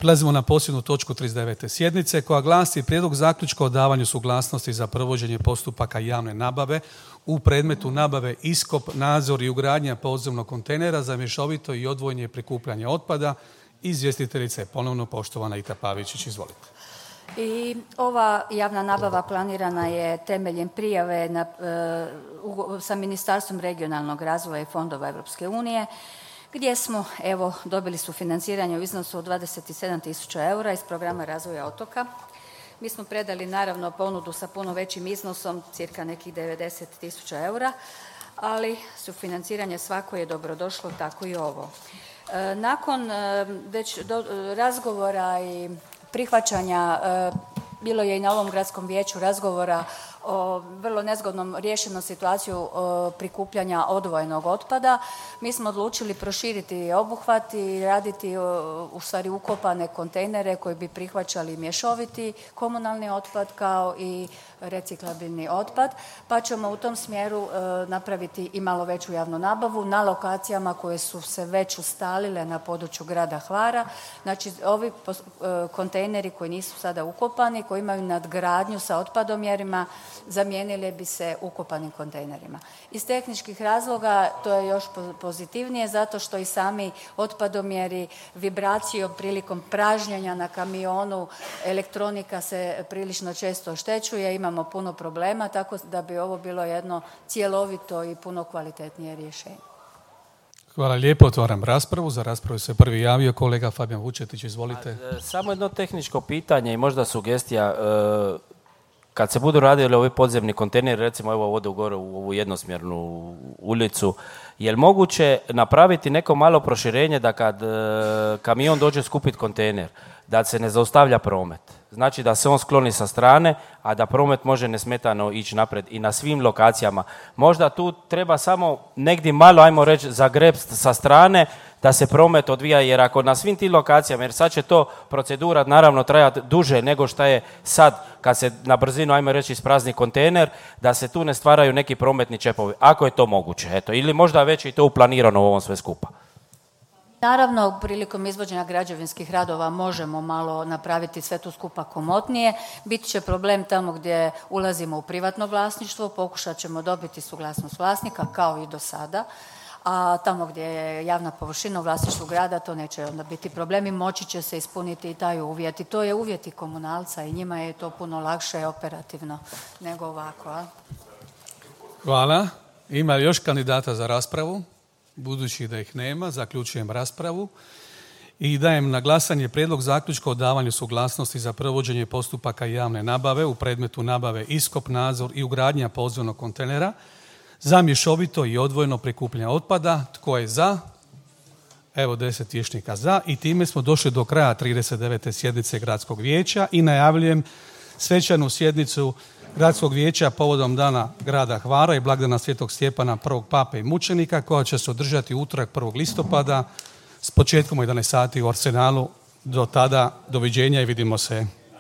Prelazimo na posljednju točku 39. sjednice koja glasi prijedlog zaključka o davanju suglasnosti za provođenje postupaka javne nabave u predmetu nabave iskop, nadzor i ugradnja podzemnog kontejnera za mješovito i odvojeno prikupljanje otpada. Izvjestiteljica je ponovno poštovana Ita Pavičić. Izvolite. I ova javna nabava planirana je temeljem prijave sa Ministarstvom regionalnog razvoja i fondova Europske unije, gdje smo dobili sufinanciranje u iznosu od 27.000 eura iz programa razvoja otoka. Mi smo predali naravno ponudu sa puno većim iznosom, cirka nekih 90.000 eura, ali sufinanciranje svako je dobrodošlo, tako i ovo. Nakon već razgovora i prihvaćanja, bilo je i na ovom gradskom vijeću razgovora o vrlo nezgodnom riješenom situaciju prikupljanja odvojenog otpada. Mi smo odlučili proširiti obuhvat i raditi u stvari ukopane kontejnere koji bi prihvaćali mješoviti komunalni otpad kao i reciklabilni otpad, pa ćemo u tom smjeru napraviti i malo veću javnu nabavu na lokacijama koje su se već ustalile na području grada Hvara. Znači ovi kontejneri koji nisu sada ukopani, koji imaju nadgradnju sa otpadomjerima, zamijenili bi se ukopanim kontejnerima. Iz tehničkih razloga to je još pozitivnije zato što i sami otpadomjeri vibracijom prilikom pražnjenja na kamionu, elektronika se prilično često oštećuje, imamo puno problema, tako da bi ovo bilo jedno cjelovito i puno kvalitetnije rješenje. Hvala lijepo, otvaram raspravu. Za raspravu se prvi javio kolega Fabijan Vučetić, izvolite. Samo jedno tehničko pitanje i možda sugestija. Kad se budu radili ovi podzemni kontejneri, recimo evo ovdje gore u ovu jednosmjernu ulicu, je li moguće napraviti neko malo proširenje da kad kamion dođe skupiti kontejner, da se ne zaustavlja promet? Znači da se on skloni sa strane, a da promet može nesmetano ići naprijed i na svim lokacijama. Možda tu treba samo negdje malo, ajmo reći, zagrepst sa strane da se promet odvija, jer ako na svim tim lokacijama, jer sad će to procedura naravno trajati duže nego što je sad kad se na brzinu, ajmo reći, isprazni kontejner, da se tu ne stvaraju neki prometni čepovi, ako je to moguće. Eto, ili možda već i to uplanirano u ovom sve skupa. Naravno, prilikom izvođenja građevinskih radova možemo malo napraviti sve tu skupa komotnije. Bit će problem tamo gdje ulazimo u privatno vlasništvo, pokušat ćemo dobiti suglasnost vlasnika kao i do sada, a tamo gdje je javna površina u vlasništvu grada to neće onda biti problem i moći će se ispuniti i taj uvjet. I to je uvjet i komunalca i njima je to puno lakše operativno nego ovako. A? Hvala. Ima li još kandidata za raspravu? Budući da ih nema, zaključujem raspravu i dajem na glasanje prijedlog zaključka o davanju suglasnosti za provođenje postupaka javne nabave u predmetu nabave iskop, nadzor i ugradnja podzemnog kontejnera za mješovito i odvojeno prikupljanje otpada. Tko je za? Evo 10 vijećnika za i time smo došli do kraja 39. sjednice Gradskog vijeća i najavljujem svečanu sjednicu Gradskog vijeća povodom Dana grada Hvara i blagdana Svetog Stjepana, prvog pape i mučenika, koja će se održati u utorak 1. listopada s početkom u 11 sati u Arsenalu. Do tada, doviđenja i vidimo se.